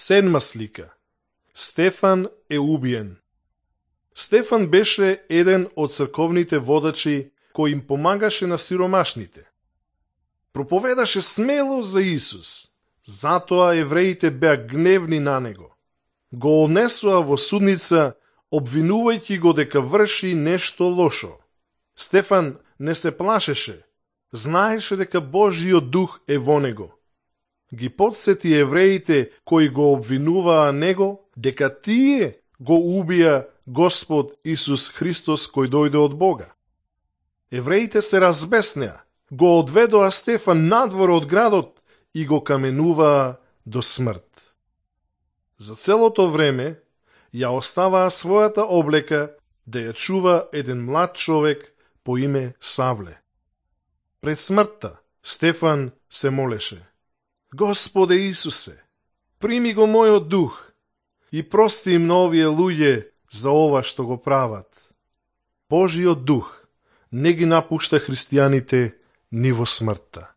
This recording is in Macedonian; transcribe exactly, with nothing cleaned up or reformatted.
Седма слика. Стефан е убиен. Стефан беше еден од црковните водачи кој им помагаше на сиромашните. Проповедаше смело за Исус, затоа евреите беа гневни на него. Го однесоа во судница, обвинувајќи го дека врши нешто лошо. Стефан не се плашеше, знаеше дека Божиот дух е во него. Ги подсети евреите кои го обвинуваа него дека тие го убија Господ Исус Христос кој дојде од Бога. Евреите се разбеснеа, го одведоа Стефан надвор од градот и го каменуваа до смрт. За целото време ја оставаа својата облека да ја чува еден млад човек по име Савле. Пред смртта Стефан се молеше: Господе Исусе, прими го мојот дух и прости им на овие луѓе за ова што го прават. Божиот дух не ги напушта христијаните ни во смртта.